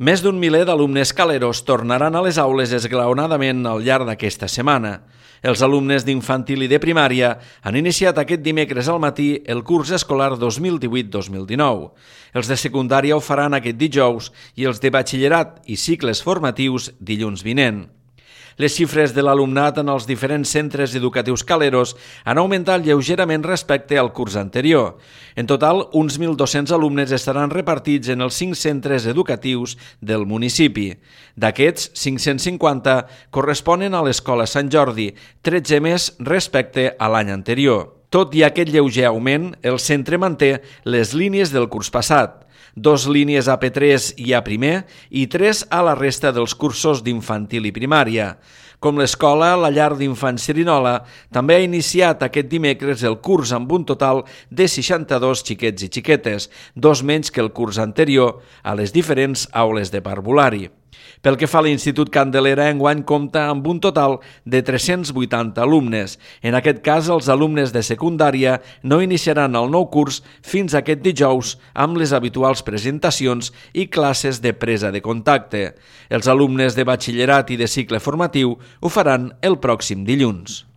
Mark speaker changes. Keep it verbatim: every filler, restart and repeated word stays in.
Speaker 1: Més d'un miler d'alumnes caleros tornaran a les aules esglaonadament al llarg d'aquesta setmana. Els alumnes d'infantil i de primària han iniciat aquest dimecres al matí el curs escolar dos mil divuit dos mil dinou. Els de secundària ho faran aquest dijous i els de batxillerat i cicles formatius dilluns vinent. Les xifres de l'alumnat en els diferents centres educatius caleros han augmentat lleugerament respecte al curs anterior. En total, uns mil dos-cents alumnes estaran repartits en els cinc centres educatius del municipi. D'aquests, cinc-cents cinquanta corresponen a l'Escola Sant Jordi, tretze més respecte a l'any anterior. Tot i aquest lleuger augment, el centre manté les línies del curs passat. Dos línies A P tres i A primer i tres a la resta dels cursos d'infantil i primària. Com l'escola, la llar d'infants Cerinola també ha iniciat aquest dimecres el curs amb un total de seixanta-dos xiquets i xiquetes, dos menys que el curs anterior, a les diferents aules de parvulari. Pel que fa a l'Institut Candelera, enguany compta amb un total de tres-cents vuitanta alumnes. En aquest cas, els alumnes de secundària no iniciaran el nou curs fins aquest dijous amb les habituals presentacions i classes de presa de contacte. Els alumnes de batxillerat i de cicle formatiu ho faran el pròxim dilluns.